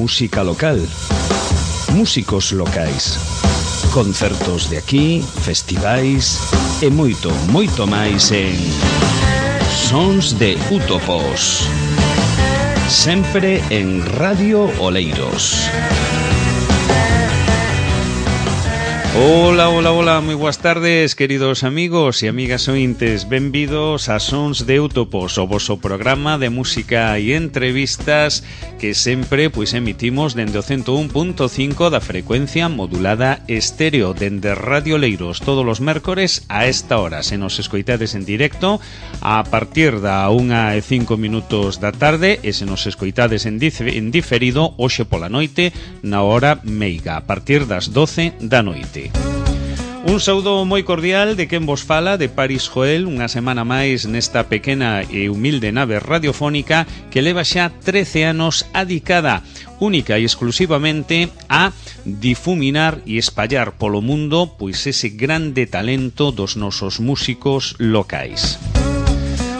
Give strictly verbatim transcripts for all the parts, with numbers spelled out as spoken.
música local, músicos locais, concertos de aquí, festivais e moito, moito máis en Sons de Útopos, sempre en Radio Oleiros. Hola, hola, hola, moi boas tardes, queridos amigos e amigas ointes. Benvidos a Sons de Útopos, o voso programa de música e entrevistas que sempre pois emitimos dende o ciento un punto cinco da frecuencia modulada estéreo, dende Radio Oleiros, todos os mércores a esta hora. Se nos escoitades en directo a partir da unha e cinco minutos da tarde, e se nos escoitades en, en diferido hoxe pola noite na hora meiga, a partir das doce da noite. Un saúdo moi cordial de quen vos fala, de Paris Joel, unha semana máis nesta pequena e humilde nave radiofónica que leva xa trece anos adicada única e exclusivamente a difuminar e espallar polo mundo pois ese grande talento dos nosos músicos locais.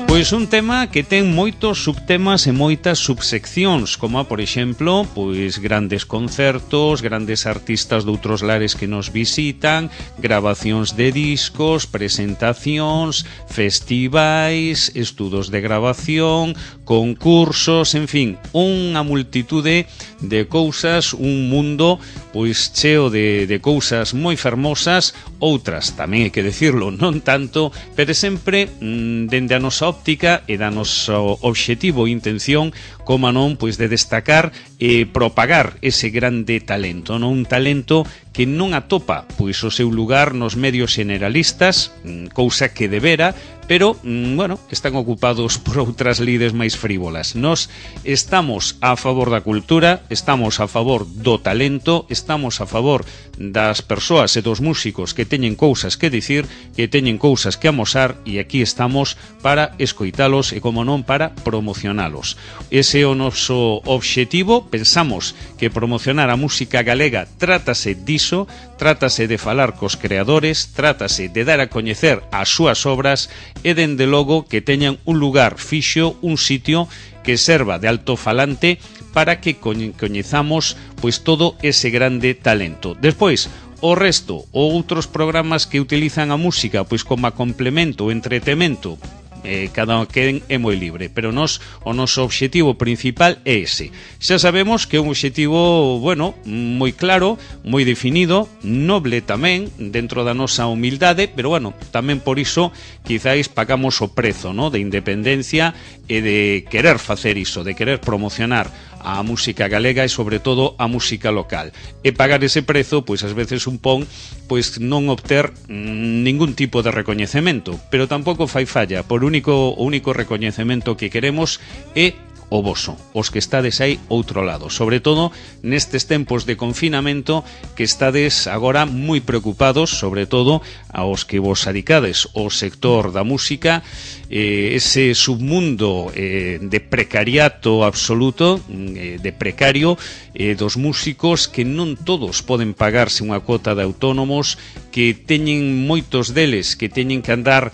Pois un tema que ten moitos subtemas e moitas subseccións, como por exemplo, pois grandes concertos, grandes artistas de outros lares que nos visitan, grabacións de discos, presentacións, festivais, estudos de grabación, concursos, en fin, unha multitude de cousas, un mundo pois cheo de, de cousas moi fermosas, outras tamén hai que decirlo, non tanto, pero sempre mmm, dende a nosa óptica e da noso obxectivo e intención, como non, pois de destacar e propagar ese grande talento, non? Un talento que non atopa pois o seu lugar nos medios generalistas, cousa que debera, pero, bueno, están ocupados por outras lides máis frívolas. Nos estamos a favor da cultura, estamos a favor do talento, estamos a favor das persoas e dos músicos que teñen cousas que dicir, que teñen cousas que amosar, e aquí estamos para escoitalos e, como non, para promocionalos. Ese é o noso obxectivo. Pensamos que promocionar a música galega trátase diso, trátase de falar cos creadores, trátase de dar a coñecer as súas obras e, dende logo, que teñan un lugar fixo, un sitio que serva de altofalante para que coñezamos pois todo ese grande talento. Despois, o resto, ou outros programas que utilizan a música pois como a complemento, entretemento, Eh, cada quen é moi libre, pero nos o noso obxectivo principal é ese. Xa sabemos que é un obxectivo, bueno, moi claro, moi definido, noble tamén, dentro da nosa humildade, pero bueno, tamén por iso quizáis pagamos o prezo, ¿no?, de independencia e de querer facer iso, de querer promocionar a música galega e sobre todo a música local. E pagar ese prezo, pois ás veces un pon pois non obter mmm, ningún tipo de recoñecemento, pero tampouco fai falla, por único o único recoñecemento que queremos é o voso, os que estades aí outro lado, sobre todo nestes tempos de confinamento que estades agora moi preocupados, sobre todo aos que vos adicades ao sector da música, eh, ese submundo eh, de precariato absoluto, eh, de precario eh, dos músicos, que non todos poden pagarse unha cuota de autónomos, que teñen moitos deles que teñen que andar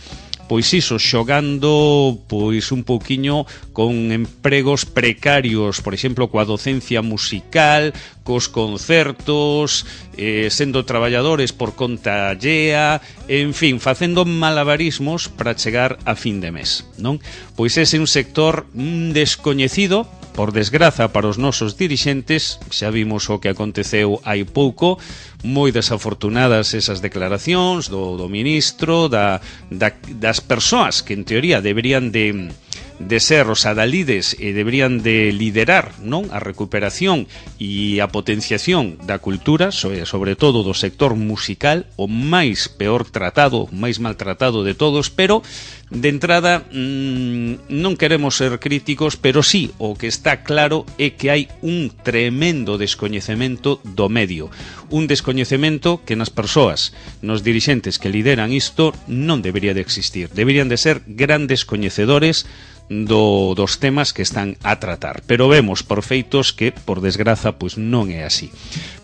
pois iso, xogando pois un pouquiño con empregos precarios, por exemplo, coa docencia musical, cos concertos, eh, sendo traballadores por conta allea, en fin, facendo malabarismos para chegar a fin de mes, non? Pois ese é un sector mm, descoñecido, por desgraza para os nosos dirixentes. Xa vimos o que aconteceu hai pouco, moi desafortunadas esas declaracións do, do ministro, da, da, das persoas que en teoría deberían de, de ser os adalides e deberían de liderar, non, a recuperación e a potenciación da cultura, sobre, sobre todo do sector musical, o máis peor tratado, o máis maltratado de todos, pero de entrada mmm, non queremos ser críticos, pero sí, o que está claro é que hai un tremendo descoñecemento do medio, un descoñecemento que nas persoas, nos dirixentes que lideran isto, non debería de existir. Deberían de ser grandes coñecedores do, dos temas que están a tratar. Pero vemos por feitos que, por desgraza, pois non é así.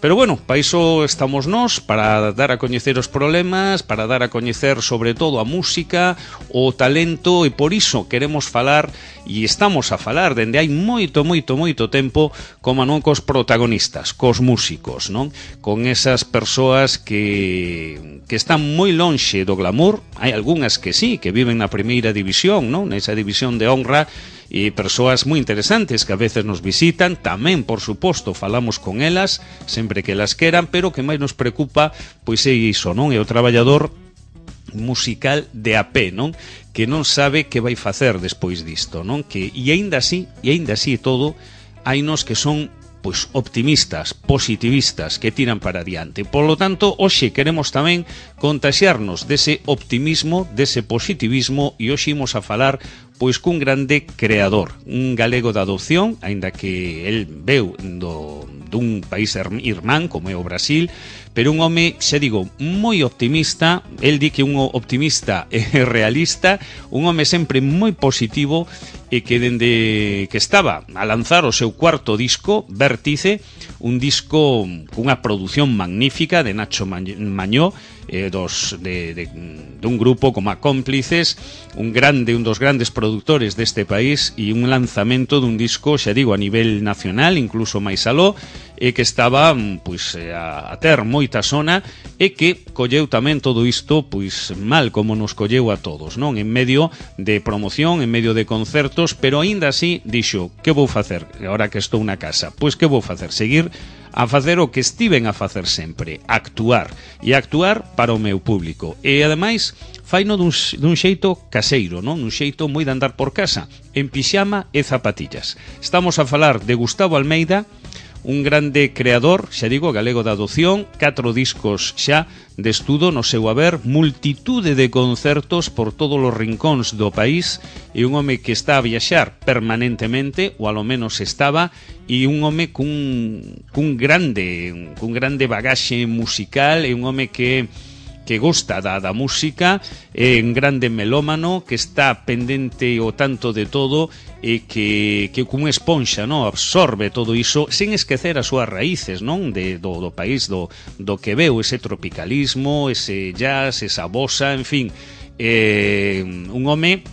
Pero bueno, para iso estamos nós, para dar a coñecer os problemas, para dar a coñecer sobre todo a música, o talento, e por iso queremos falar, e estamos a falar dende hai moito, moito, moito tempo, como non cos protagonistas, cos músicos, non? Con esas persoas que, que están moi lonxe do glamour. Hai algunhas que sí, que viven na primeira división, non? Nesa división de honra, e persoas moi interesantes que a veces nos visitan, tamén, por suposto, falamos con elas sempre que elas queran, pero o que máis nos preocupa pois é iso, non? É o traballador musical de a pé, non? Que non sabe que vai facer despois disto, non? Que, e aínda así, e aínda así todo, hainos que son pois optimistas, positivistas, que tiran para adiante. Por lo tanto, hoxe queremos tamén contaxiarnos dese optimismo, dese positivismo, e hoxe imos a falar pois cun grande creador, un galego de adopción, aínda que el veu do, dun país irmán como é o Brasil, pero un home, xa digo, moi optimista. El di que un optimista e realista, un home sempre moi positivo, e que dende que estaba a lanzar o seu cuarto disco, Vértice, un disco cunha produción magnífica de Nacho Mañó, eh, dos, de, de, de un grupo como a Cómplices, un grande, un dos grandes productores deste país, e un lanzamento dun disco, xa digo, a nivel nacional, incluso máis aló, e que estaba pois a, a ter moita sona, e que colleu tamén todo isto pois mal como nos colleu a todos, non? En medio de promoción, en medio de concertos, pero aínda así dixo: que vou facer agora que estou na casa? Pois que vou facer? Seguir a facer o que estiven a facer sempre, actuar, e actuar para o meu público. E ademais faino dun, dun xeito caseiro, non? Un xeito moi de andar por casa, en pixama e zapatillas. Estamos a falar de Gustavo Almeida, un grande creador, xa digo, galego de adopción, catro discos xa de estudo no seu haber, multitude de concertos por todos os rincóns do país, e un home que está a viaxar permanentemente, ou alo menos estaba, e un home cun, cun grande cun grande bagaxe musical, e un home que que gosta da, da música, é un grande melómano, que está pendente o tanto de todo, e que, que cun esponxa, non? Absorbe todo iso, sen esquecer as súas raíces, non? De, do, do país, do, do que veu, ese tropicalismo, ese jazz, esa bossa, en fin, eh, un home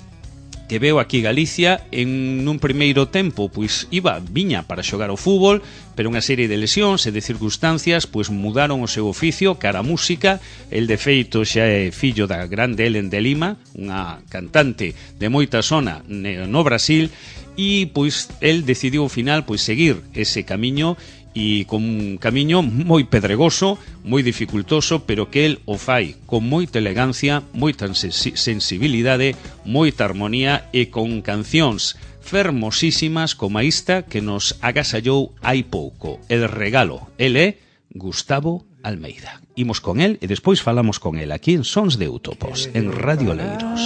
que veu aquí Galicia. En un primeiro tempo pois iba, viña para xogar ao fútbol, pero unha serie de lesións e de circunstancias pois mudaron o seu oficio cara a música. El de feito xa é fillo da grande Helen de Lima, unha cantante de moita sona no Brasil, e pois el decidiu ao final pois seguir ese camiño, e con un camiño moi pedregoso, moi dificultoso, pero que el o fai con moita elegancia, moita sensibilidade, moita armonía, e con cancións fermosísimas como a esta que nos agasallou hai pouco, El Regalo. El é Gustavo Almeida. Imos con el e despois falamos con el aquí en Sons de Eutopos, en Radio Oleiros.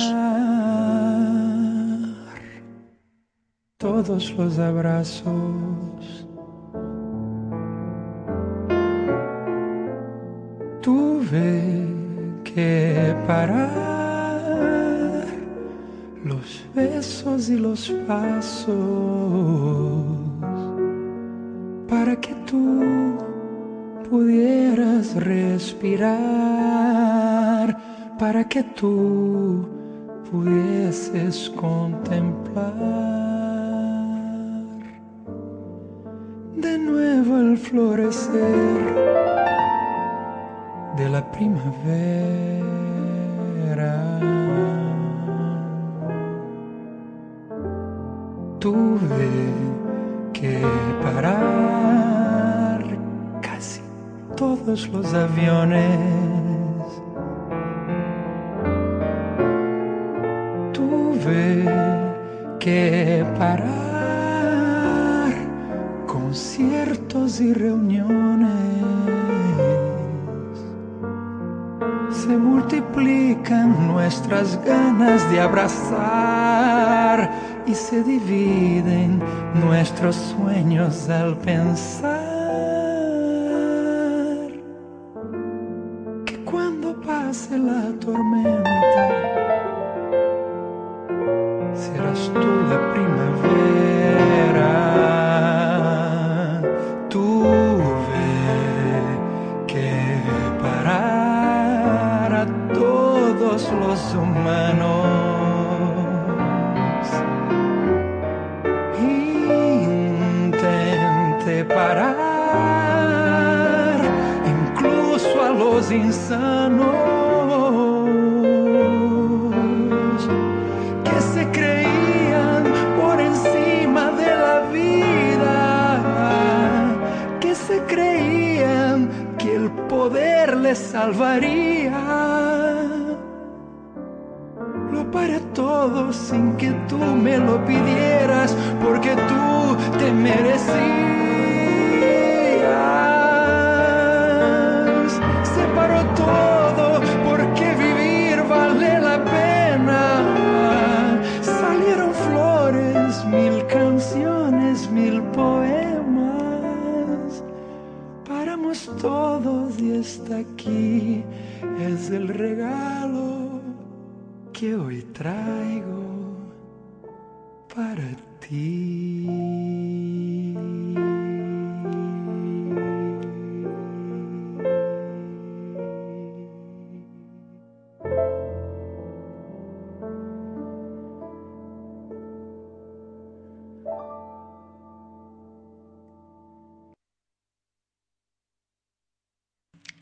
Todos los abrazos tuve que parar, los besos y los pasos, para que tú pudieras respirar, para que tú pudieses contemplar de nuevo el florecer de la primavera. Tuve que parar casi todos los aviones. Tuve que parar conciertos y reuniones. Se multiplican nuestras ganas de abrazar y se dividen nuestros sueños al pensar que cuando pase la tormenta será eras tú la primavera. Tuve que parar a todos los humanos. Intenté parar incluso a los insanos que se creían por encima de la vida, que se creían que el poder les salvaría. Lo paré todo sin que tú me lo pidieras, porque tú te merecías. Se paró todo porque vivir vale la pena. Salieron flores, mil canciones, mil poemas. Paramos todos y está aquí, es el regalo que hoy traigo para ti.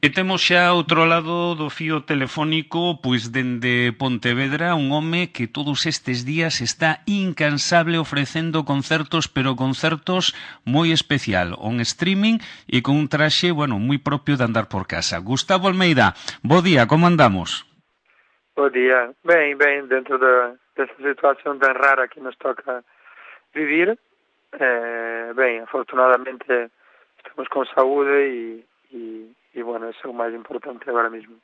E temos xa outro lado do fío telefónico, pois dende Pontevedra, un home que todos estes días está incansable ofrecendo concertos, pero concertos moi especial, on streaming e con un traxe, bueno, moi propio de andar por casa. Gustavo Almeida, bo día, como andamos? Bo día. Ben, ben, dentro de, dessa situación tan rara que nos toca vivir, eh, ben, afortunadamente estamos con saúde e, e E, bueno, eso é o máis importante agora mesmo.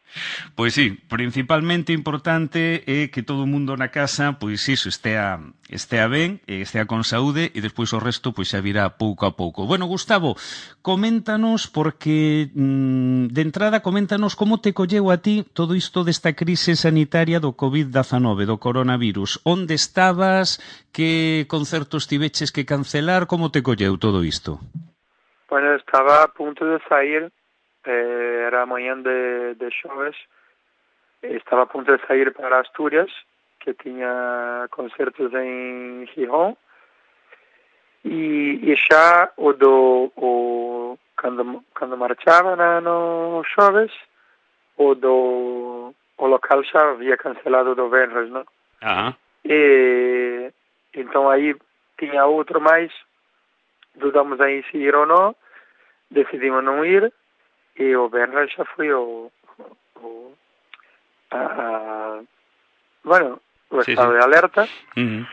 Pois sí, principalmente importante é que todo o mundo na casa, pois iso, estea, estea ben, estea con saúde, e despois o resto, pois xa virá pouco a pouco. Bueno, Gustavo, coméntanos, porque mmm, de entrada, coméntanos como te colleu a ti todo isto desta crise sanitaria do covid diecinueve, do coronavirus. Onde estabas? Que concertos tiveches que cancelar? Como te colleu todo isto? Bueno, estaba a punto de sair. Eh, era a manhã de, de xoves, estaba a punto de sair para Asturias, que tiña concertos en Gijón, e, e xa o do o, cando, cando marchaba na, no xoves, o do o local xa había cancelado do Benres, non? Ah. E entón aí tiña outro máis, dudamos aí se ir ou non, decidimos non ir. E o Benres xa foi o, o a, a, bueno, o sí, estado sí. de alerta, uh-huh.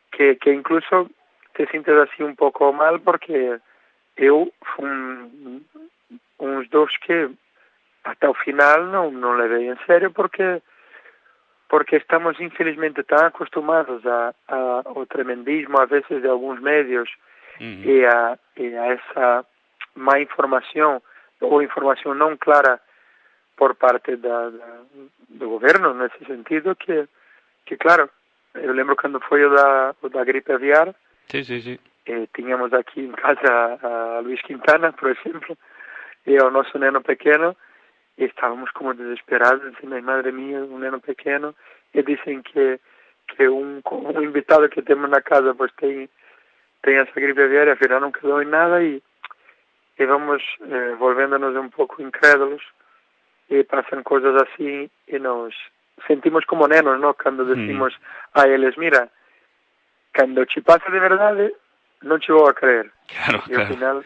que, que incluso te sintes así un pouco mal, porque eu fun uns dos que ata o final non, non levei en serio, porque porque estamos infelizmente tan acostumados a, a, ao tremendismo a veces de alguns medios, uh-huh. e, a, e a esa má información ou información non clara por parte da, da, do goberno nesse sentido, que, que claro, eu lembro cando foi o da, o da gripe aviar, sí, sí, sí. Eh, tiñamos aquí en casa a Luis Quintana, por exemplo, e ao noso neno pequeno, e estábamos como desesperados, dicindo, madre mía, un neno pequeno, e dicen que, que un, un invitado que temos na casa pois ten, ten esa gripe aviar, e afinal non quedou en nada, e e vamos eh, volvéndonos un pouco incrédulos, e pasan cousas así e nos sentimos como nenos, ¿no? Cando decimos mm. a eles, mira, cando che pasa de verdade, non che vou a creer. Claro, e ao claro. final...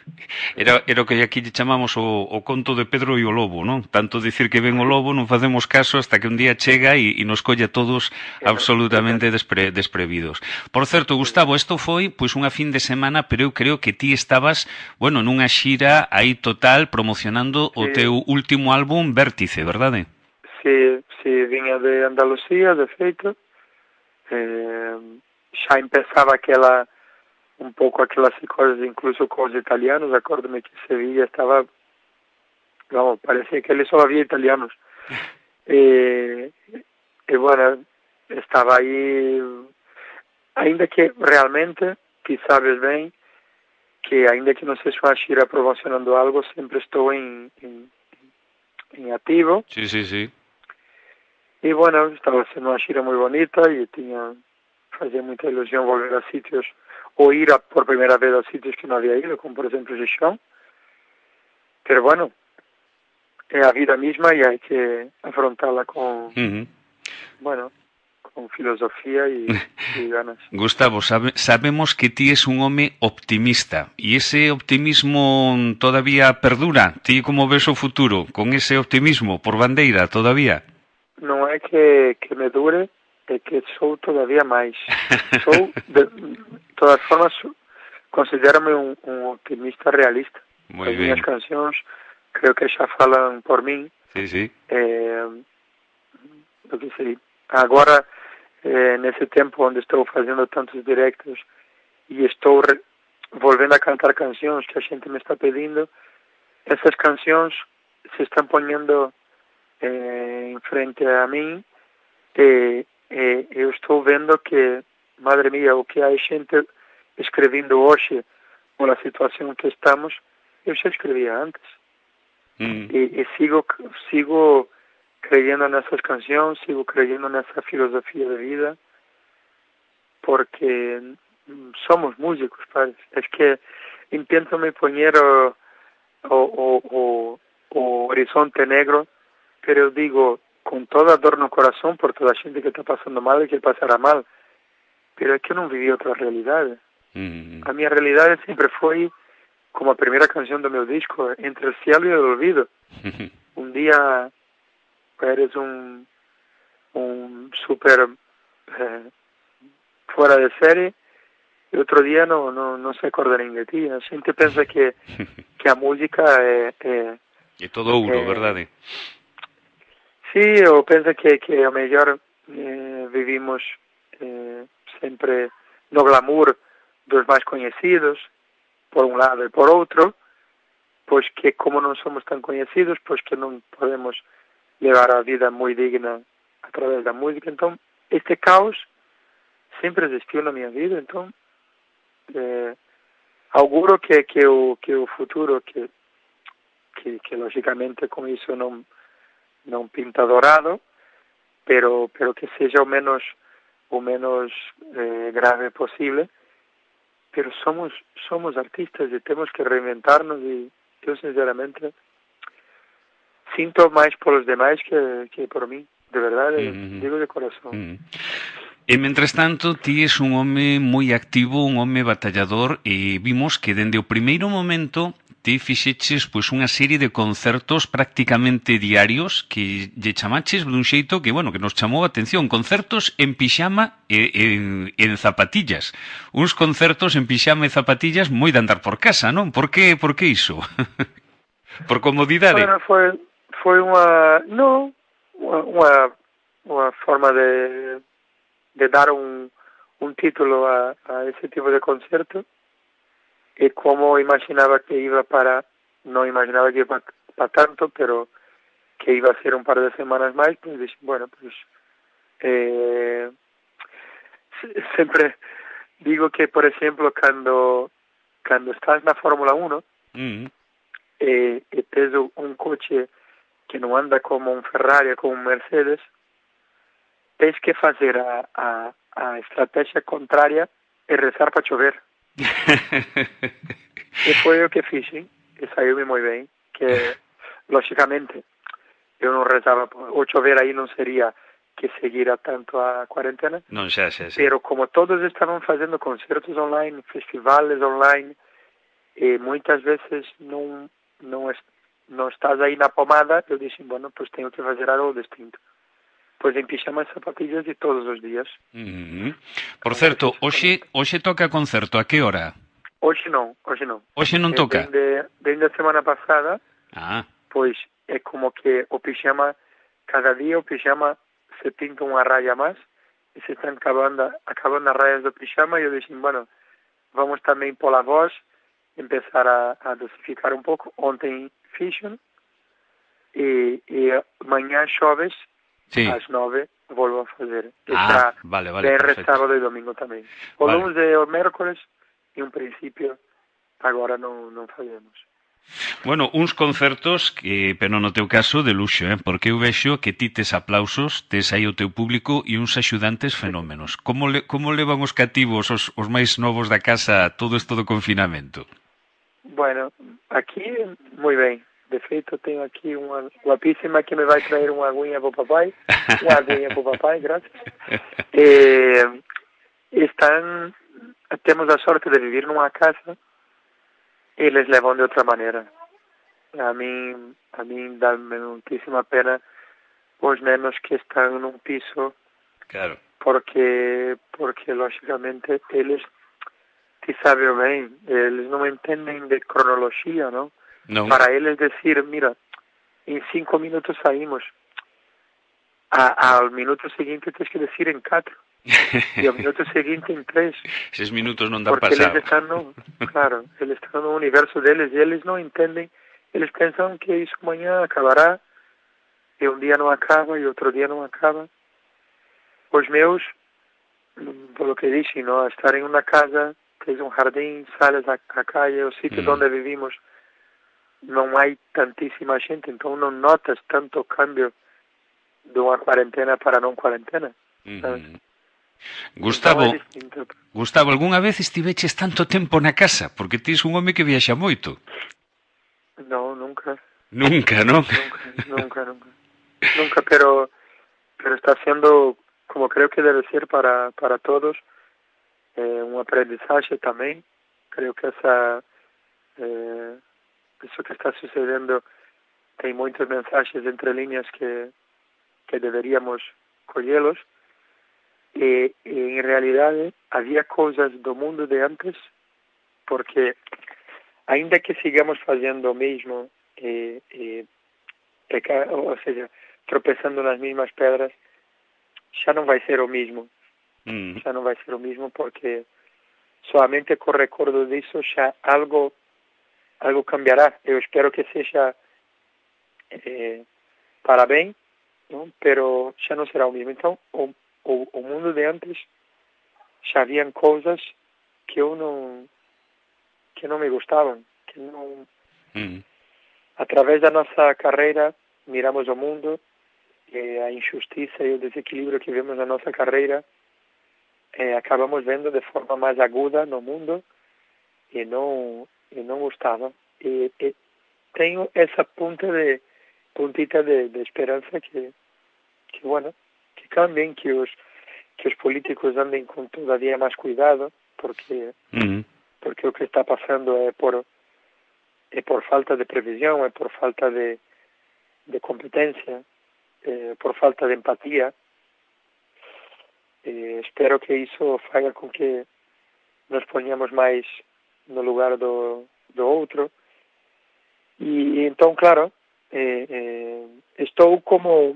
Era, era o que aquí lle chamamos o, o conto de Pedro e o lobo, non? Tanto dicir que ven o lobo, non facemos caso hasta que un día chega e, e nos colle a todos absolutamente despre, desprevidos. Por certo, Gustavo, isto foi pois unha fin de semana, pero eu creo que ti estabas, bueno, nunha xira aí total promocionando sí. o teu último álbum Vértice, verdade? Sí, sí, viña de Andalucía, de feito. Eh, xa empezaba aquela un pouco aquelas coisas, incluso con os italianos. Acórdame que Sevilla estaba, vamos, parecía que ali só había italianos. e, e, bueno, estaba aí ainda que realmente, que sabes bem, que ainda que não seja uma gira promocionando algo, sempre estou em, em, em ativo. Sí, sí, sí. E, bueno, estava sendo uma gira muito bonita e tinha, fazia muita ilusão volver a sítios, ou ir a, por primeira vez a sítios que não havia ido, como por exemplo Gijón. Pero, bueno, é a vida mesma e há que afrontá-la com, Uh-huh. bueno, con filosofía y, y ganas. Gustavo, sabe, sabemos que ti es un home optimista e ese optimismo todavía perdura. Ti como ves o futuro? Con ese optimismo por bandeira todavía? Non é que, que me dure, é que sou todavía máis. Sou, de, de todas formas, considérame un, un optimista realista. Muy As bien. minhas cancións creo que xa falan por min. Sí, sí. Eh, eu que sei, agora, eh, nesse tempo onde estou fazendo tantos directos e estou re, volvendo a cantar cancións que a xente me está pedindo, essas cancións se están poñendo eh, en frente a mim e, e eu estou vendo que, madre mía, o que hai xente escrevendo hoxe pola situación que estamos, eu xa escrevía antes. Mm. E, e sigo, sigo creyendo nessas cancións, sigo creyendo nessa filosofía de vida, porque somos músicos, padre. Es que intento me poner o, o, o, o, o horizonte negro, pero eu digo, con toda dor no corazón por toda a xente que está pasando mal e que pasará mal, pero é que eu non viví outra realidade. Mm. A minha realidade sempre foi, como a primeira canción do meu disco, Entre el cielo y el olvido. Un día eres un, un super eh, fuera de serie e outro día non, non, non se acorda nin de ti. A xente pensa que, que a música é... é é todo ouro, é, verdade? Sí, ou pensa que, que a mellor eh, vivimos eh, sempre no glamour dos máis coñecidos, por un lado e por outro, pois que como non somos tan coñecidos, pois que non podemos levar a vida moi digna a través da música. Entón, este caos sempre existiu na minha vida, entón eh, auguro que, que, o, que o futuro, que, que, que logicamente con iso non non pinta dorado, pero pero que seja o menos o menos eh, grave posible. Pero somos somos artistas e temos que reinventarnos e eu sinceramente sinto máis polos demais que, que por mí, de verdade, mm-hmm. Digo de corazón. Mm-hmm. E, mentres tanto, ti és un home moi activo, un home batallador, e vimos que dende o primeiro momento ti fixeches pois unha serie de concertos prácticamente diarios que lle chamaches dun xeito que, bueno, que nos chamou a atención, concertos en pixama e en, en zapatillas. Uns concertos en pixama e zapatillas moi de andar por casa, non? Por que, por que iso? Por comodidade? Bueno, foi, foi unha, non, unha, unha forma de, de dar un, un título a, a ese tipo de concerto. E como imaginaba que iba para, non imaginaba que iba para tanto, pero que iba a ser un par de semanas máis, pues dixen, bueno, pues eh, sempre digo que, por exemplo, cando cando estás na Fórmula uno mm. e, e tes un coche que non anda como un Ferrari, como un Mercedes, tens que fazer a, a, a estrategia contraria e rezar para chover. E foi o que fixen e saiu-me moi ben, que lógicamente eu non rezaba, o chover aí non sería que seguira tanto a cuarentena, non xa, xa, xa. Pero como todos estaban facendo concertos online, festivales online, e moitas veces non non, es, non estás aí na pomada, eu dixen, bueno, pois teño que fazer algo distinto. Pois en pixama e zapatillas de todos os días. Mm-hmm. Por certo, hoxe, hoxe toca concerto, a que hora? Hoxe non, hoxe non. Hoxe non toca? Dende, dende a semana pasada, ah. pois é como que o pixama, cada día o pixama se pinta unha raya máis, e se están acabando, acabando as rayas do pixama, e eu dixen, bueno, vamos tamén pola voz, empezar a, a dosificar un pouco. Ontem fixen, e, e mañá xoves, Sí. às nove volvo a fazer. E Ah, será vale, vale, V R, perfecto. sábado e domingo tamén. O Vale. lunes e o mércoles, en principio, agora non, non fazemos. Bueno, uns concertos que, pero no teu caso, de luxo, eh? Porque eu vexo que ti tes aplausos, tes aí o teu público e uns axudantes fenómenos. Como, le, como levan os cativos, os, os máis novos da casa, todo isto do confinamento? Bueno, aquí, moi ben. De feito, tenho aquí unha guapísima que me vai traer unha aguinha pro papai. Unha aguinha pro papai, gracias. Eh, están, temos a sorte de vivir nunha casa e les levan de outra maneira. A min, a min dá-me muitísima pena os nenos que están num piso, Claro. porque, porque lógicamente, eles, ti sabe ben, eles non entenden de cronoloxía, non? Non. Para eles decir, mira, en cinco minutos saímos, a, al minuto seguinte tens que decir en catro, e ao minuto seguinte en tres. Eses minutos non dan Porque pasado. eles están no, claro, eles están no universo deles e eles non entenden, eles pensam que iso mañá acabará, e un día non acaba e outro día non acaba. Os meus, polo que dixen, no, estar en unha casa, tens un jardín, sales a, a calle, o sitio Mm. onde vivimos, non hai tantísima xente, entón non notas tanto cambio dunha cuarentena para non cuarentena, sabes? Mm. Entón Gustavo, é distinto. Gustavo, algunha vez estiveches tanto tempo na casa? Porque tis un home que viaxa moito. No, nunca. Nunca, non? Nunca, nunca, nunca. Nunca, pero, pero está siendo, como creo que debe ser para, para todos, eh, un aprendizaje también. Creo que esa, eh, eso que está sucediendo, hay muchos mensajes entre líneas que, que deberíamos collerlos. E, e en realidad había cosas do mundo de antes, porque ainda que sigamos fazendo o mesmo, e, e pecar, ou seja, tropeçando nas mesmas pedras, xa non vai ser o mesmo. Mm. Xa non vai ser o mesmo porque solamente co recordo disso xa algo algo cambiará. Eu espero que sexa eh, para ben, non? Pero xa non será o mesmo. Então, o, o, o mundo de antes xa habían cousas que eu non que non me gustaban, que non Mm. a través da nosa carreira miramos o mundo e a injustiça e o desequilíbrio que vemos na nossa carreira eh, acabamos vendo de forma mais aguda no mundo e não e não gostava. E, e tenho essa ponta de puntita de, de esperança que que bueno que cambiem, que os que os políticos andem com todavia mais cuidado, porque Mm. porque o que está passando é por é por falta de previsão, é por falta de de competência, é por falta de empatia. Eh, espero que iso faga con que nos poñamos máis no lugar do, do outro. E, e entón, claro, eh, eh, estou como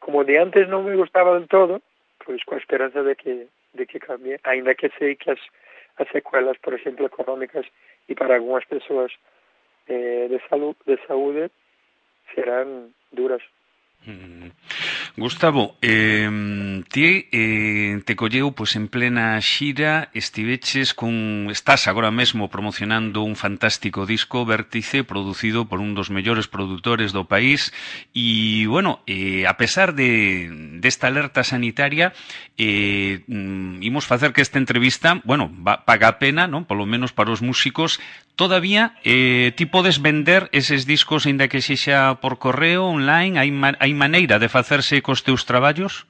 como de antes non me gustaba del todo, pois coa esperanza de que de que cambie, ainda que sei que as, as secuelas, por exemplo, económicas e para algunhas persoas eh, de, salud, de saúde serán duras. Mm. Gustavo, eh, ti eh, te colleu pois en plena xira, estiveches con estás agora mesmo promocionando un fantástico disco Vértice producido por un dos mellores produtores do país e, bueno, eh, a pesar de desta alerta sanitaria eh, mm, imos facer que esta entrevista, bueno, va, paga a pena, non? Polo menos para os músicos. Todavía eh, ti podes vender eses discos aínda que sexa por correo, online, hai, ma hai maneira de facerse cos teus traballos?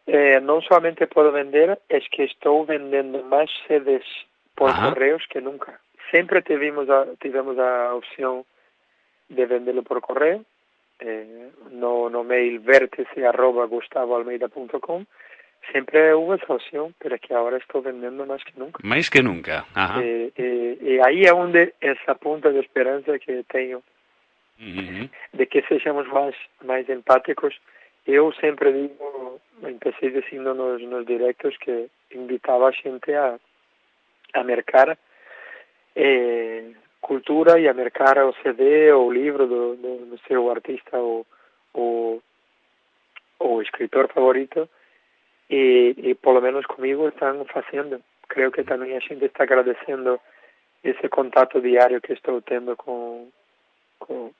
Eh, non solamente podo vender, es que estou vendendo máis C Ds por Ajá. correos que nunca. Sempre tivemos a, tivemos a opción de venderlo por correo, eh, no, no mail vértice arroba gustavo almeida punto com. Sempre houve esa opción, pero é que agora estou vendendo máis que nunca. Máis que nunca. Ajá. Eh, eh, e aí é onde esa punta de esperanza que teño Uh-huh. de que sejamos máis máis empáticos. Eu sempre digo, empecé dicindo nos, nos directos que invitaba a xente a, a mercar eh, cultura e a mercar o C D ou o libro do, do, do seu artista ou, ou, o escritor favorito, e, e polo menos comigo están facendo. Creo que tamén a xente está agradecendo ese contacto diario que estou tendo con, con,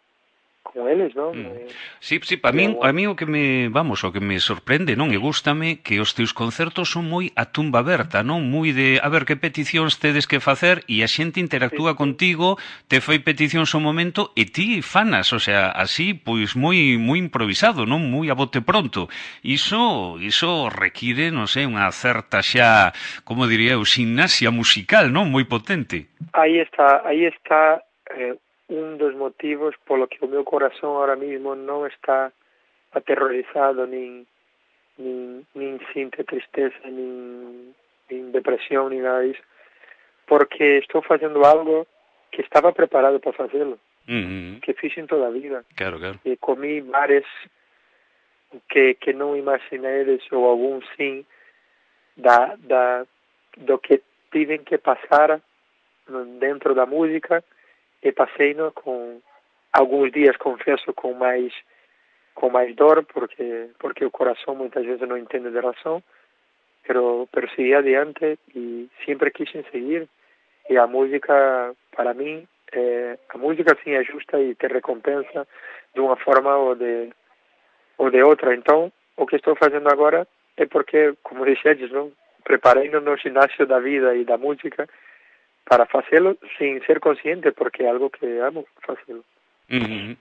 con eles, non? Mm. Eh, Sí, sí, para min, a mí o que me, vamos, o que me sorprende, non? E gústame que os teus concertos son moi a tumba aberta, non? Moi de, a ver, que peticións tedes que facer e a xente interactúa sí, sí. contigo, te fai peticións ao momento e ti fanas, o sea, así, pois moi moi improvisado, non? Moi a bote pronto. Iso, iso require, non sei, unha certa xa, como diría eu, gimnasia musical, non? Moi potente. Aí está, aí está eh, un dos motivos polo que o meu corazón ahora mismo non está aterrorizado, nin, nin, nin sinte tristeza, nin, nin depresión, nin nada disso, porque estou facendo algo que estaba preparado para facelo, Mm-hmm. que fixen toda a vida. Claro, claro. E comí bares que, que non imaginedes, ou algún sim, da, da, do que tiven que pasar dentro da música, e pasei-no com alguns dias, confesso, com mais com mais dor, porque porque o coração muitas vezes não entende de razão, pero pero segui adiante e sempre quis seguir, e a música para mim é, a música sim é justa e te recompensa de uma forma ou de ou de outra. Então o que estou fazendo agora é porque, como dixedes, não, preparei-no no ginásio da vida e da música para facelo sin ser consciente, porque é algo que amo facelo. Mm-hmm.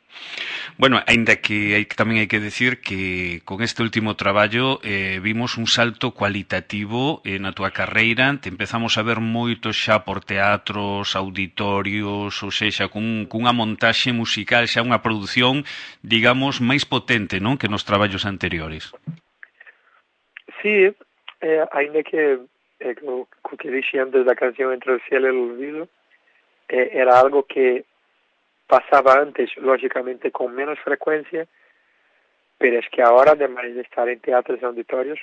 Bueno, aínda que hai, tamén hai que decir que con este último traballo eh, vimos un salto cualitativo eh, na túa carreira, te empezamos a ver moito xa por teatros, auditorios, ou sexa, cun, cunha montaxe musical, xa unha produción, digamos, máis potente, non, que nos traballos anteriores. Sí, eh, ainda que eh, o, o que dixi antes da canción Entre o cielo e o olvido, eh, era algo que pasaba antes, lógicamente, con menos frecuencia, pero es que ahora, además de estar en teatros e auditorios,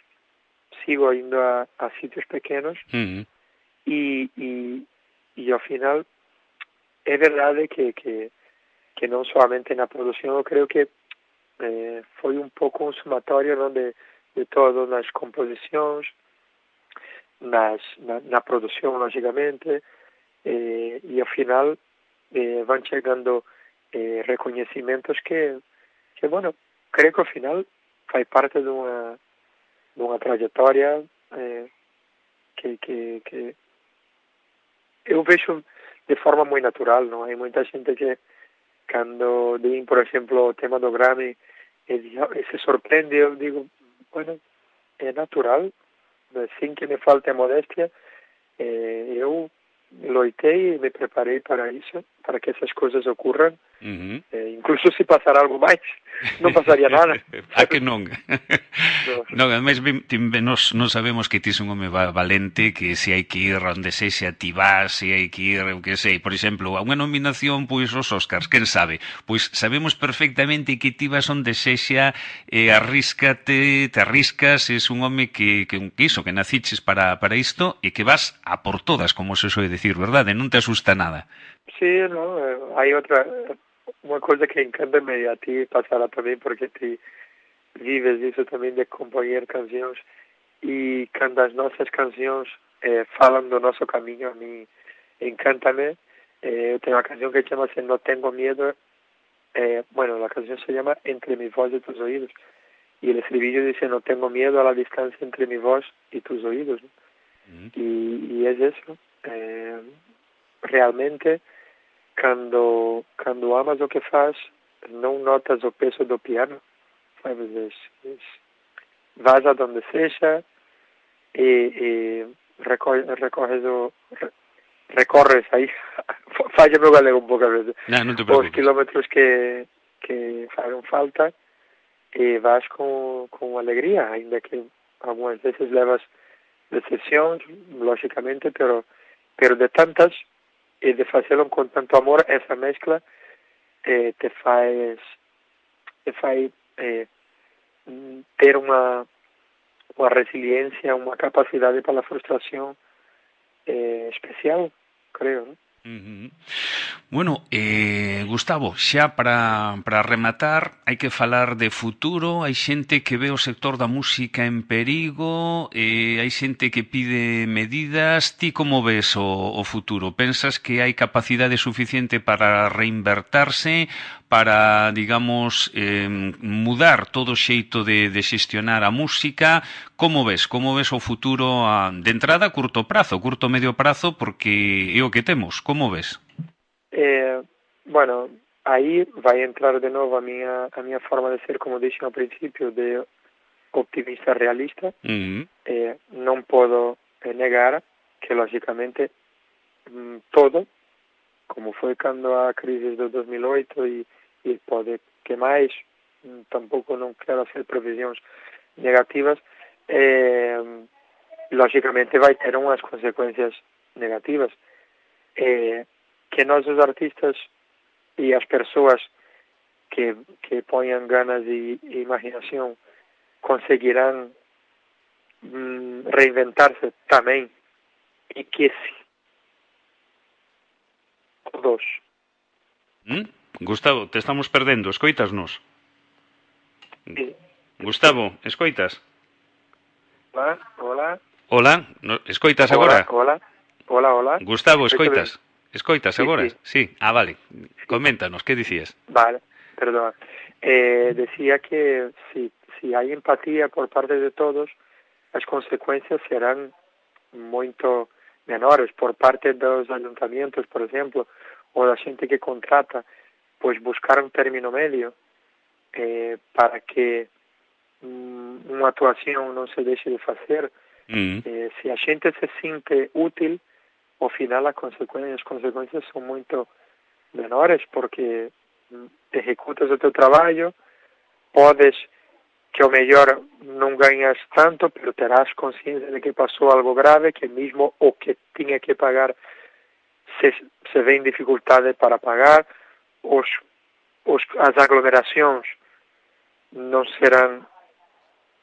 sigo indo a, a sitios pequenos, Mm-hmm. e, e, e ao final é verdade que, que, que non solamente na produción, eu creo que eh, foi un pouco un sumatorio, non, de, de todo, nas composicións, nas, na, na produción, lógicamente, eh, e ao final eh, van chegando eh, reconhecimentos que, que, bueno, creo que ao final fai parte dunha, dunha trayectoria eh, que, que, que eu vexo de forma moi natural, non? Hai moita xente que cando din, por exemplo, o tema do Grammy e, e se sorprende, eu digo, bueno, é natural, sin que me falte a modestia, eh, eu loitei e me preparei para isso, para que essas coisas ocorram. Mm-hmm. Eh, incluso se pasar algo máis, non pasaría nada. A que non? No. Non, ademais, nos, nos sabemos que ti es un home valente, que se hai que ir onde sexa ti vas, se hai que ir, eu que sei, por exemplo, a unha nominación, pois, os Oscars, quen sabe? Pois sabemos perfectamente que ti vas onde sexa, eh, arríscate, te arriscas, es un home que, que un quiso, que naciches para, para isto, e que vas a por todas, como se soe decir, verdade? Non te asusta nada. Sí, no, eh, hai outra, unha coisa que encanta-me a ti pasará tamén, porque ti vives iso tamén de compoñer cancións, e cando as nosas cancións eh, falan do noso camiño, a mí encántame. Eh, eu tenho unha canción que chama-se No Tengo Miedo, eh, bueno, a canción se llama Entre mi voz y tus oídos, y el estribillo dice: no tengo miedo a la distancia entre mi voz y tus oídos, ¿no? Mm. y, y es eso, eh, realmente cando cando amas o que faz, non notas o peso do piano, sabes? Es, es, vas a donde sexa e, e recorres, recorres o re, recorres aí falla meu galego un pouco a veces, no, non te os kilómetros que que fagan falta, e vas con, con alegría, ainda que algunhas veces levas decepcións, lógicamente, pero pero de tantas, e de facelo con tanto amor, esa mezcla eh, te faz te fai eh, ter unha unha resiliencia, unha capacidade para a frustración eh, especial, creo, ¿no? Uh-huh. Bueno, eh, Gustavo, xa para, para rematar, hai que falar de futuro. Hai xente que ve o sector da música en perigo, eh, hai xente que pide medidas. Ti como ves o, o futuro? Pensas que hai capacidade suficiente para reinvertirse, para, digamos, eh, mudar todo o xeito de, de xestionar a música? Como ves? Como ves o futuro a, de entrada a curto prazo, curto medio prazo, porque é o que temos? Como ves? Eh, bueno, aí vai entrar de novo a minha, a minha forma de ser, como disse no princípio, de optimista realista. Uh-huh. Eh, non podo negar que, lógicamente, todo, como foi cando a crise do dos mil e oito e, e pode que máis, tampouco non quero hacer previsións negativas, eh, lógicamente vai ter unhas consecuencias negativas. Eh, que nós os artistas e as persoas que, que ponham ganas e, e imaginación conseguirán mm, reinventar-se tamén, e que si todos. ¿Mm? Gustavo, te estamos perdendo, escoitasnos? Sí. Gustavo, escoitas? Hola, hola. Hola, no, escoitas Hola, agora? hola, hola, hola. Gustavo, escoitas? Escoitas sí, agora? Sí. sí. Ah, vale. Coméntanos, ¿qué dicías? Vale, perdón. Eh, decía que si, si hay empatía por parte de todos, as consecuencias serán moito menores. Por parte dos ayuntamientos, por exemplo, ou da xente que contrata, pois buscar un término medio eh, para que mm, unha actuación non se deixe de facer. Mm. Eh, se a xente se sinte útil, ao final as consecuencias, as consecuencias son moito menores, porque ejecutas o teu traballo, podes que ao mellor non gañas tanto, pero terás consciencia de que pasou algo grave, que mesmo o que tiña que pagar se, se ve en dificultade para pagar, os, os, as aglomeracións non serán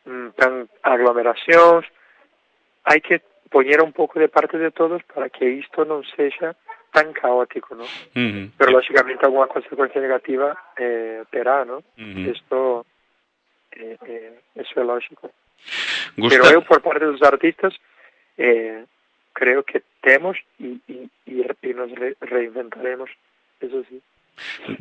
mm, tan aglomeracións. Hai que poñer un pouco de parte de todos para que isto non sexa tan caótico, ¿no? Uh-huh. Pero lógicamente alguna consecuencia negativa eh, terá, ¿no? Uh-huh. Esto eh, eh, eso é lógico. Gusta... Pero eu, por parte dos artistas, eh, creo que temos e, e, e nos re reinventaremos, eso sí.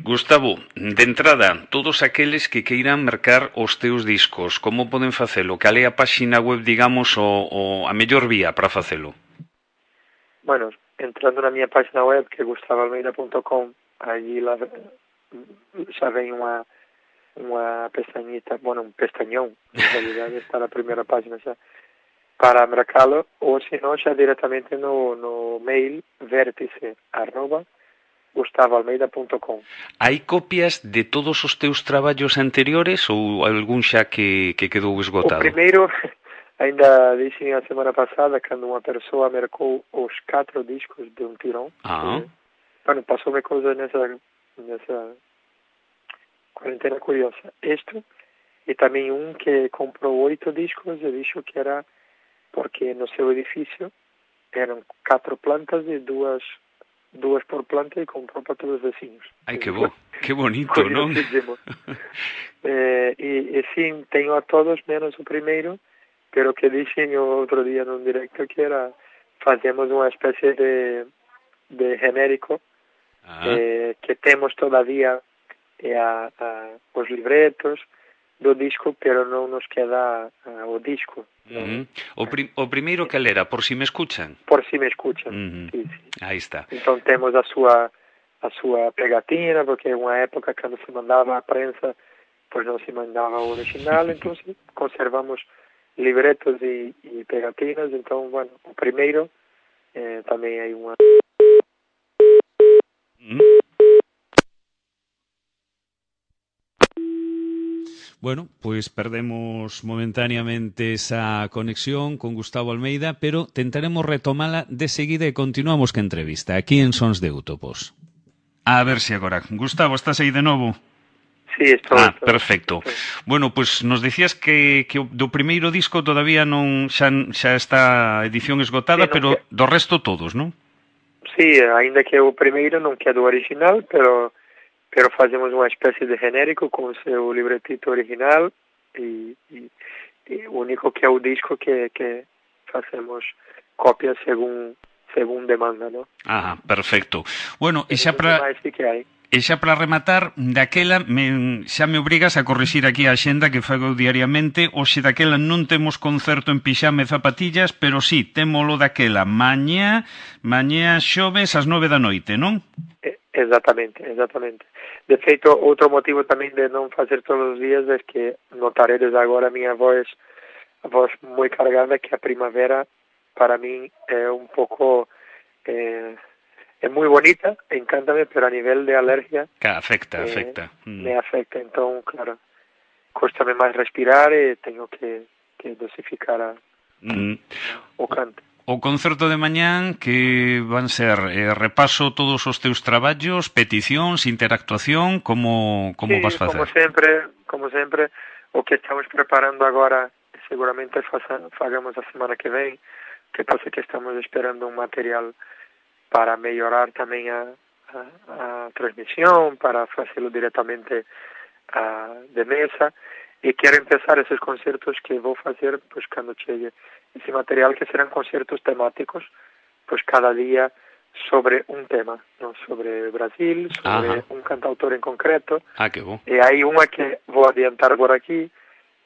Gustavo, de entrada, todos aqueles que queiran mercar os teus discos, como poden facelo? Cal é a páxina web, digamos, o, o a mellor vía para facelo? Bueno, entrando na miña página web, que é gustavo almeida punto com, allí la, xa ven unha unha pestañita, bueno, un pestañón, en realidade está na primeira página xa, para mercalo, ou se non, xa directamente no, no mail vértice arroba gustavo almeida punto com. Hai copias de todos os teus traballos anteriores ou algún xa que, que quedou esgotado? O primeiro, ainda dixen a semana pasada, cando unha persoa mercou os catro discos de un tirón. Ah. Que, bueno, pasoume cousa nesa, nesa cuarentena curiosa. Isto, e tamén un que comprou oito discos e dixo que era porque no seu edificio eran catro plantas e dúas dúas por planta e comprou para todos os vecinos. Ai, que bo, que bonito, non? eh, e, e sim, teño a todos menos o primeiro, pero que dixen o outro día nun directo que era, facemos unha especie de, de genérico ah. eh, que temos todavía eh, a, a, os libretos do disco, pero non nos queda uh, o disco. Uh-huh. O, prim, o primeiro que era, Por si me escuchan? Por si me escuchan, uh-huh. sí, sí. Aí está. Entón temos a súa a súa pegatina, porque é unha época cando se mandaba a prensa, pois non se mandaba o original, entón sí, conservamos libretos e, e pegatinas, entón, bueno, o primeiro eh, tamén hai unha... Uh-huh. Bueno, pues perdemos momentáneamente esa conexión con Gustavo Almeida, pero tentaremos retomala de seguida e continuamos que entrevista aquí en Sons de Útopos. A ver si agora. Gustavo, estás aí de novo? Sí, estou. Ah, estou, perfecto. estou. Bueno, pues nos dicías que, que do primeiro disco todavía non xa, xa está a edición esgotada, sí, non, pero que... do resto todos, non? sí, ainda que o primeiro non quede original, pero pero fazemos unha especie de genérico con o seu libretito original e, e, e o único que é o disco que, que facemos copias según según demanda, ¿no? Ah, perfecto. Bueno, e xa para sí que hai. E xa para rematar, daquela me, xa me obrigas a corrixir aquí a axenda que fago diariamente. Hoxe daquela non temos concerto en pixame e zapatillas, pero sí, témolo daquela mañá, mañá xoves ás nove da noite, non? Exactamente, exactamente. De feito, outro motivo tamén de non facer todos os días é que notaredes agora a miña voz, a voz moi cargada, que a primavera para min é un pouco... Eh, é moi bonita, encántame, pero a nivel de alergia... Que afecta, eh, afecta. Mm. Me afecta, entón, claro, cóstame máis respirar e teño que, que dosificar a, mm. o cante. O concerto de mañán que van ser eh, repaso todos os teus traballos, peticións, interactuación, como, como sí, vas facer? como sempre, como sempre, o que estamos preparando agora, seguramente fagamos a semana que ven, que pasa que estamos esperando un material para mellorar tamén a, a, a transmisión, para facelo directamente a, de mesa, e quero empezar esos concertos que vou facer pues, cando chegue ese material, que serán concertos temáticos, pues cada día sobre un tema, ¿no? Sobre Brasil, sobre Ajá. un cantautor en concreto. Ah, que bo. E hai unha que vou adiantar por aquí,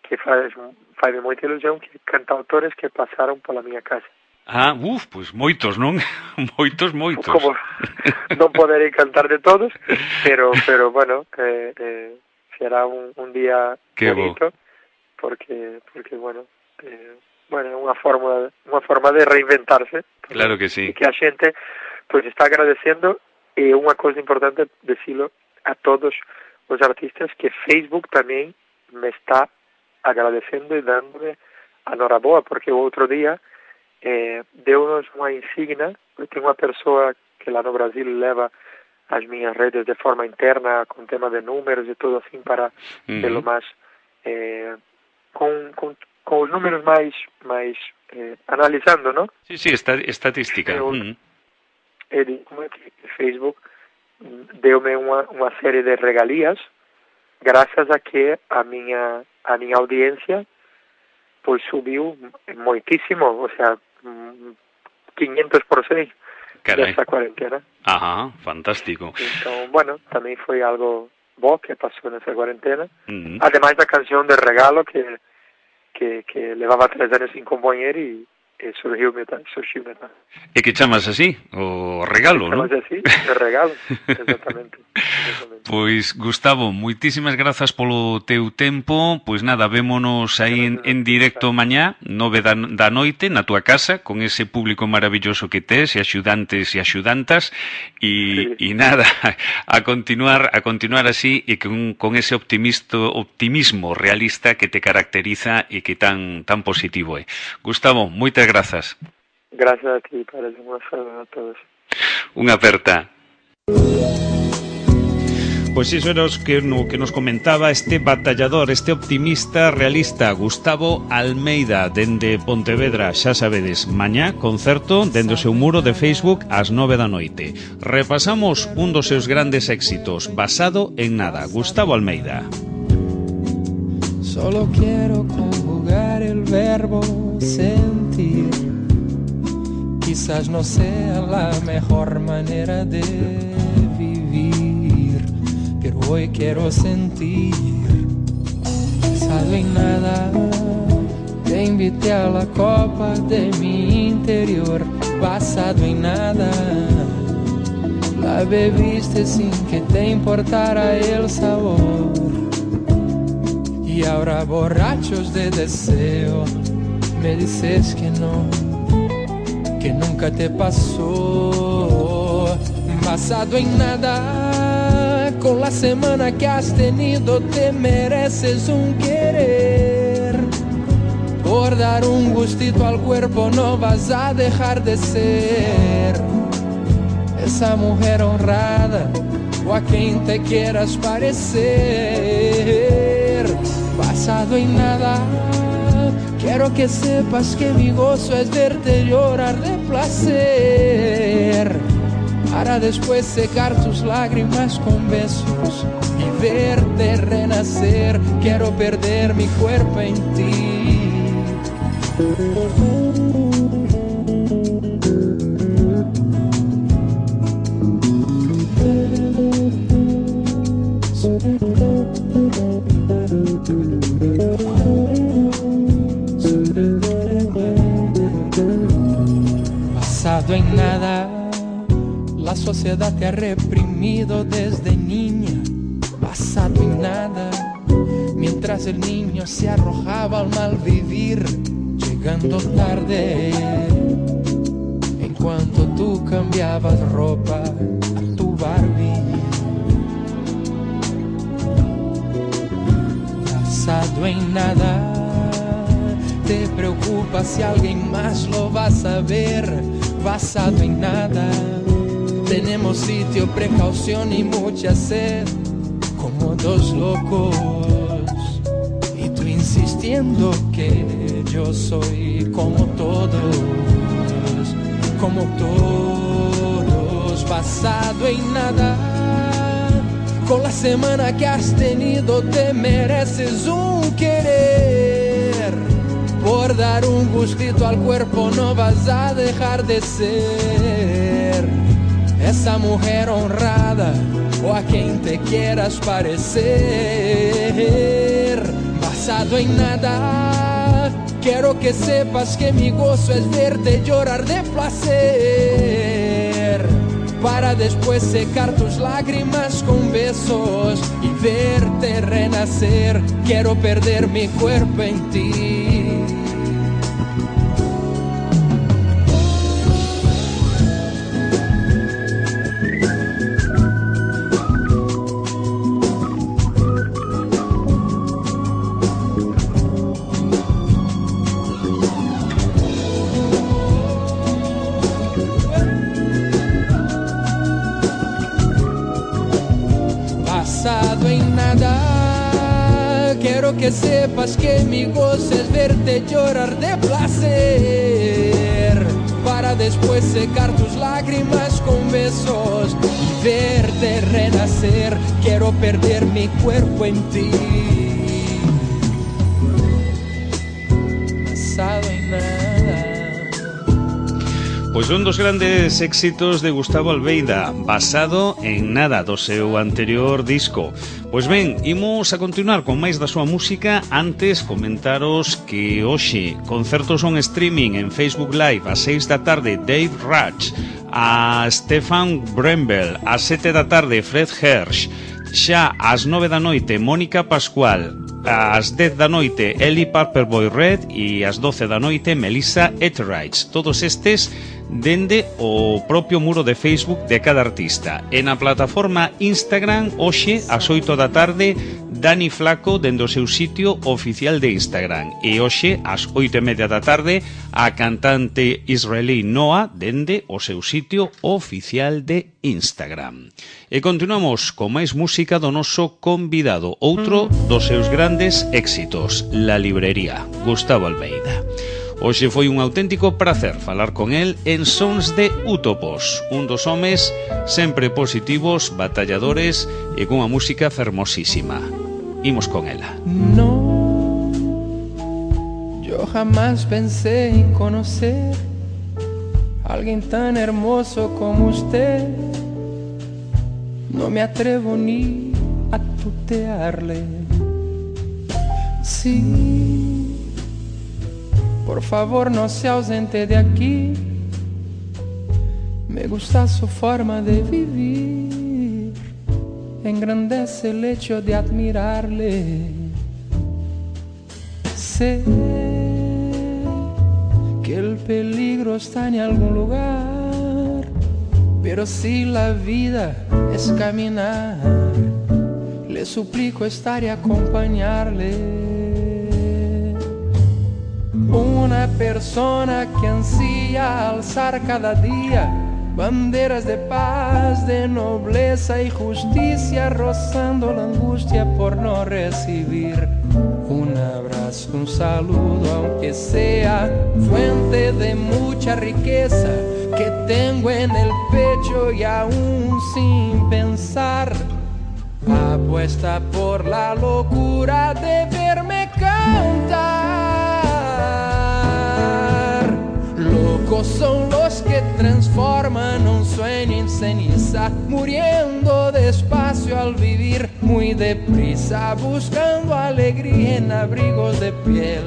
que faz, faz moita ilusión, que cantautores que pasaron pola miña casa. Ah, uf, pois pues moitos, non? moitos, moitos. Como non poderei cantar de todos, pero pero bueno, eh, eh, será un, un día Qué bonito, bo. porque porque bueno, eh, bueno, unha forma unha forma de reinventarse. Claro que sí. E que a xente pois pues, está agradecendo, e unha cousa importante decilo a todos os artistas, que Facebook tamén me está agradecendo e dándome a noraboa, porque o outro día Eh, deu-nos unha insignia. Eu tenho unha persoa que lá no Brasil leva as minhas redes de forma interna, con tema de números e todo assim, para uh-huh. pelo máis eh, con, con, con os números máis máis eh, analizando, ¿no? Sí, sí, está, estatística. Eu, uh-huh. e como é que Facebook deu-me unha, unha serie de regalías grazas a que a miña a miña audiencia pois subiu moitísimo, o sea, quinhentos por seis desta cuarentena. Ajá, fantástico. Então, bueno, tamén foi algo bo que pasou nesa cuarentena. Uh-huh. Ademais da canción de regalo que que, que levaba tres anos sin compoñer e, e surgiu metal, surgiu metal. E que chamas así, o regalo, non? Chamas así, de regalo, exactamente. exactamente. Pois, Gustavo, moitísimas grazas polo teu tempo. Pois nada, vémonos aí en, en directo mañá, nove da, da noite, na túa casa, con ese público maravilloso que tes, e axudantes e axudantas, e, sí. e nada, a continuar a continuar así, e con, con ese optimisto, optimismo realista que te caracteriza e que tan tan positivo é. Gustavo, moitas grazas. Gracias a ti, Padre, unha saúde a todos. Unha aperta. Pois iso era que, no, que nos comentaba este batallador, este optimista realista, Gustavo Almeida, dende Pontevedra. Xa sabedes, mañá concerto dende o seu muro de Facebook ás nove da noite. Repasamos un dos seus grandes éxitos, Basado en nada, Gustavo Almeida. Solo quiero conjugar el verbo sentir. Quizás no sea la mejor manera de vivir, pero hoy quiero sentir. Basado en nada, te invité a la copa de mi interior. Basado en nada, la bebiste sin que te importara el sabor. Y ahora borrachos de deseo, me dices que no, que nunca te pasó. Basado en nada, con la semana que has tenido te mereces un querer. Por dar un gustito al cuerpo no vas a dejar de ser esa mujer honrada o a quien te quieras parecer. Basado en nada, quiero que sepas que mi gozo es verte llorar de placer. para después secar tus lágrimas con besos y verte renacer. Quiero perder mi cuerpo en ti. Basado en nada, la sociedad te ha reprimido desde niña. Basado en nada, mientras el niño se arrojaba al mal vivir, llegando tarde. En cuanto tú cambiabas ropa a tu Barbie. Basado en nada, te preocupa si alguien más lo va a saber. Basado en nada, tenemos sitio, precaución y mucha sed, como dos locos, y tú insistiendo que yo soy como todos, como todos. Basado en nada, con la semana que has tenido te mereces un querer. Por dar un gustito al cuerpo no vas a dejar de ser esa mujer honrada o a quien te quieras parecer. Basado en nada, quiero que sepas que mi gozo es verte llorar de placer, para después secar tus lágrimas con besos y verte renacer. Quiero perder mi cuerpo en ti. Basado en nada, quiero que sepas que mi gozo es verte llorar de placer, para después secar tus lágrimas con besos y verte renacer. Quiero perder mi cuerpo en ti. Basado en nada. Pois son dos grandes éxitos de Gustavo Albeida, Basado en nada, do seu anterior disco. Pois ben, imos a continuar con máis da súa música. Antes, comentaros que hoxe concertos on streaming en Facebook Live ás seis da tarde, Dave Rudge, a Stefan Brembel, ás sete da tarde, Fred Hersch, xa ás nove da noite, Mónica Pascual, ás dez da noite, Ellie Paperboy Red e ás doce da noite, Melissa Etheridge. Todos estes dende o propio muro de Facebook de cada artista. En a plataforma Instagram, hoxe, ás oito da tarde, Dani Flaco dende o seu sitio oficial de Instagram. E hoxe, ás oito e media da tarde, a cantante israelí Noah dende o seu sitio oficial de Instagram. E continuamos con máis música do noso convidado, outro dos seus grandes éxitos, La Librería, Gustavo Albeida. Hoxe foi un auténtico prazer falar con el en Sons de Útopos, un dos homes sempre positivos, batalladores e cunha música fermosísima. Imos con ela. No, yo jamás pensé en conocer a alguien tan hermoso como usted. No me atrevo ni a tutearle. Sí, por favor no se ausente de aquí. Me gusta su forma de vivir, engrandece el hecho de admirarle. Sé que el peligro está en algún lugar, pero si la vida es caminar, le suplico estar y acompañarle. Una persona que ansía alzar cada día banderas de paz, de nobleza y justicia, rozando la angustia por no recibir un abrazo, un saludo, aunque sea fuente de mucha riqueza, que tengo en el pecho y aún sin pensar, apuesta por la locura de verme cantar. Locos son los que transforman un sueño en ceniza, muriendo despacio al vivir muy deprisa, buscando alegría en abrigos de piel,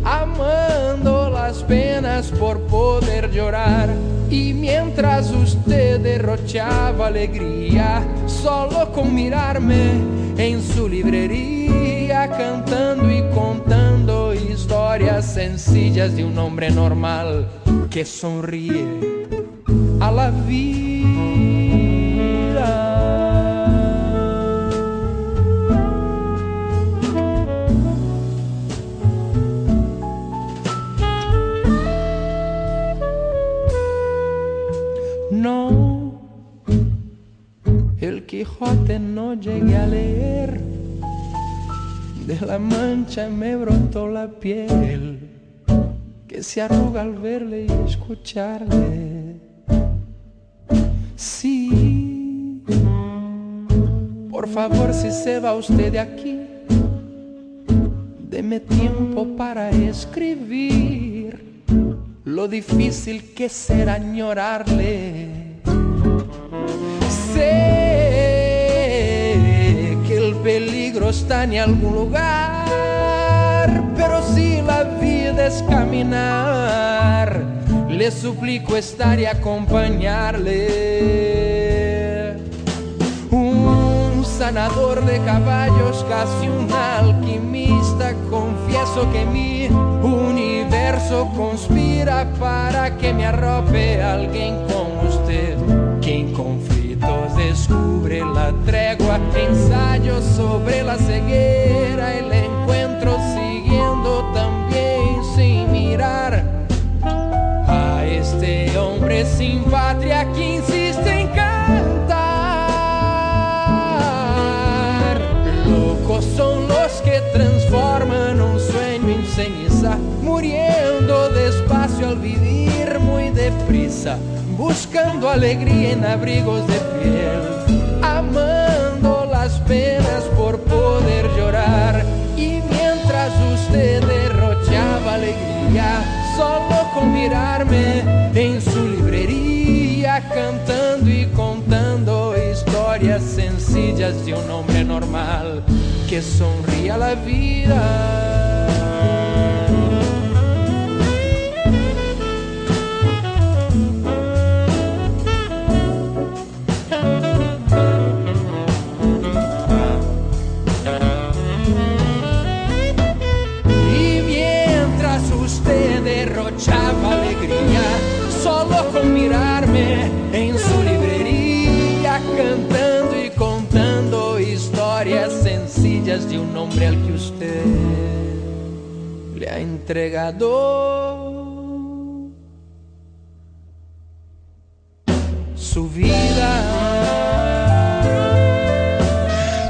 amando las penas por poder llorar. Y mientras usted derrochaba alegría, solo con mirarme en su librería, cantando y contando historias sencillas de un hombre normal que sonríe a la vida. No, el Quijote no llegué a leer, de la mancha me brotó la piel, que se arruga al verle y escucharle. Sí, por favor, si se va usted de aquí, deme tiempo para escribir lo difícil que será añorarle. Sé que el peligro está en algún lugar, pero si la vida es caminar, le suplico estar y acompañarle. Un sanador de caballos, casi un alquimista, confieso que mi universo conspira para que me arrope alguien como usted, que en conflictos descubre la tregua, ensayo sobre la ceguera, el encuentro siguiendo también sin mirar a este hombre sin patria que insiste en cantar. Locos son los que transforman un sueño en ceniza, muriendo despacio al vivir muy deprisa, buscando alegría en abrigos de piel, amando las penas por poder llorar. Y mientras usted derrochaba alegría, solo con mirarme en su librería, cantando y contando historias sencillas de un hombre normal que sonríe a la vida. Derrochaba alegría, solo con mirarme en su librería, cantando y contando historias sencillas de un hombre al que usted le ha entregado su vida.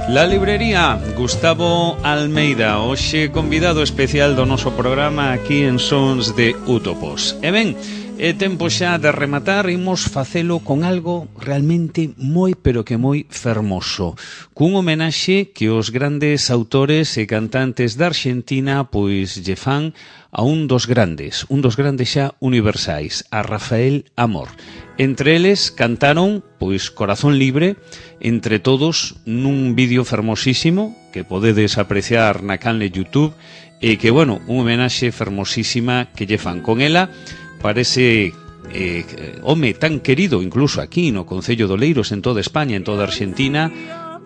La librería Gustavo Almeida, hoxe convidado especial do noso programa aquí en Sons de Útopos. E ben, é tempo xa de rematar, imos facelo con algo realmente moi, pero que moi fermoso, cun homenaxe que os grandes autores e cantantes da Argentina pois lle fan a un dos grandes, un dos grandes xa universais, a Rafael Amor. Entre eles cantaron, pois, Corazón Libre, entre todos, nun vídeo fermosísimo que podedes apreciar na canle YouTube e que, bueno, un homenaxe fermosísima que lle fan con ela. Parece eh, home tan querido incluso aquí no Concello de Oleiros, en toda España, en toda Argentina.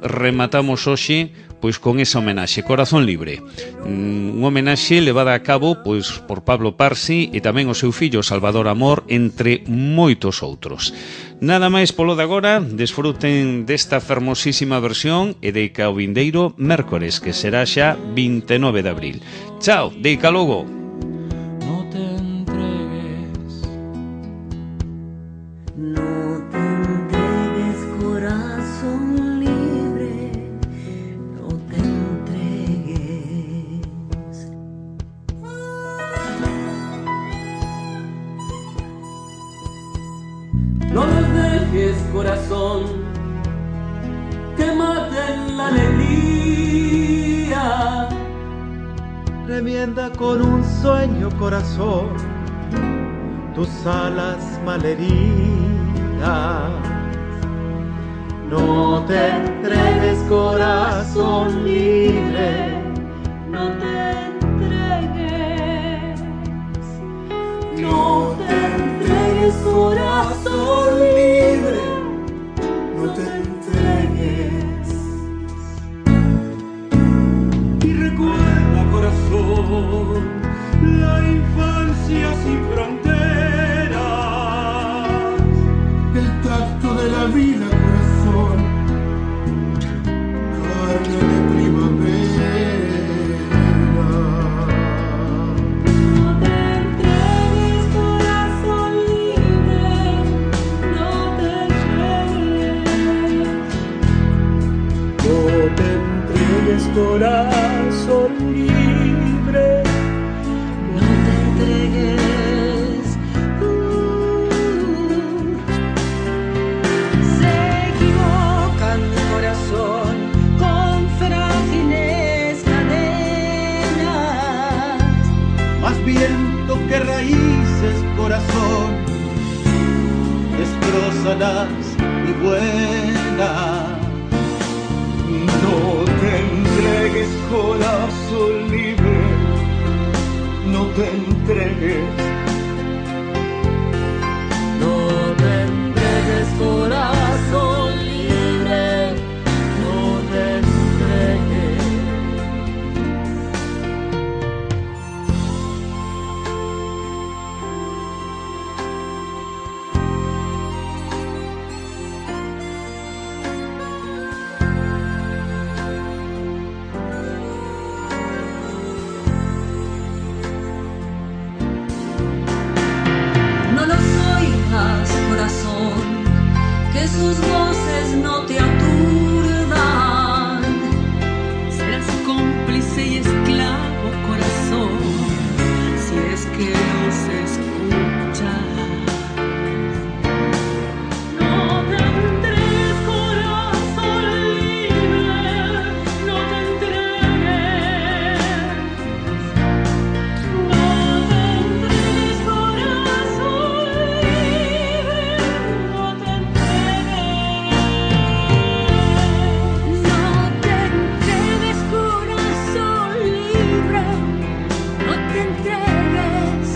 Rematamos hoxe pois con esa homenaxe, Corazón Libre, un homenaxe levada a cabo pois por Pablo Parsi e tamén o seu fillo Salvador Amor, entre moitos outros. Nada máis polo de agora, desfruten desta fermosísima versión e deica o vindeiro mércores, que será xa vinte e nove de abril. Chao, deica logo. No te entregues, no te entregues, corazón libre, no te entregues. remienda con un sueño, corazón, tus alas malheridas. No te entregues, corazón libre, no te entregues, no te entregues, corazón libre, no te entregues. Y recuerda, corazón, la infancia sin fronteras, el tacto de la vida, corazón, carne de primavera. No te entregues, corazón libre, no te entregues. no te entregues, corazón libre, No te entregues. Uh, se equivoca mi corazón con frágiles cadenas. Más viento que raíces, corazón, destrózalas y vuela. no te entregues, corazón libre, no te entregues. No te entregues, corazón libre, no te entregues. No los oigas, corazón, que sus voces no te aturdan. Serás cómplice y esclavo, corazón, si es que los escuchas. No te entregues, corazón libre, no te entregues. No te entregues, corazón libre, no te entregues. No te entregues, corazón libre, no te entregues.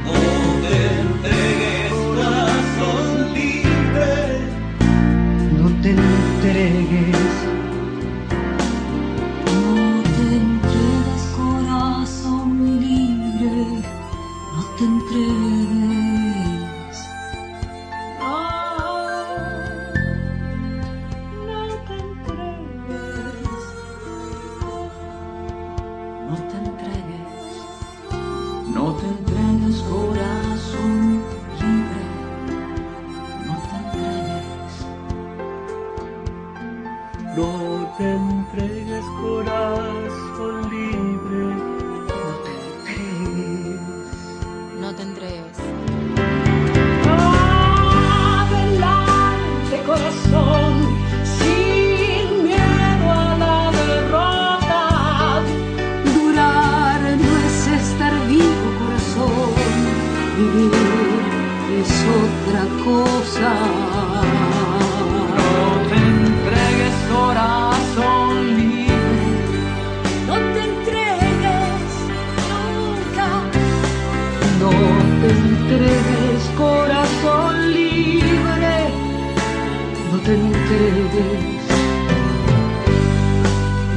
No te entregues, corazón libre, No te entregues, No te entregues, corazón libre, no te entregues. No, no te entregues. No te entregues. No te entregues, corazón libre, no te entregues. No te entregues, corazón libre, no te entregues. No te entregues. Adelante, corazón, sin miedo a la derrota. Durar no es estar vivo, corazón. Vivir es otra cosa. no te entregues, corazón libre. No te entregues nunca. No te entregues, corazón libre. No te entregues.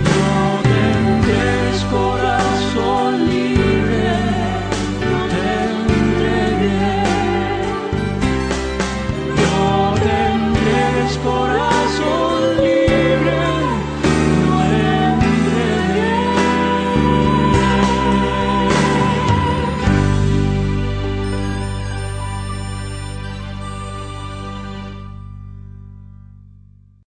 No te entregues, corazón libre. No te entregues. No te entregues, corazón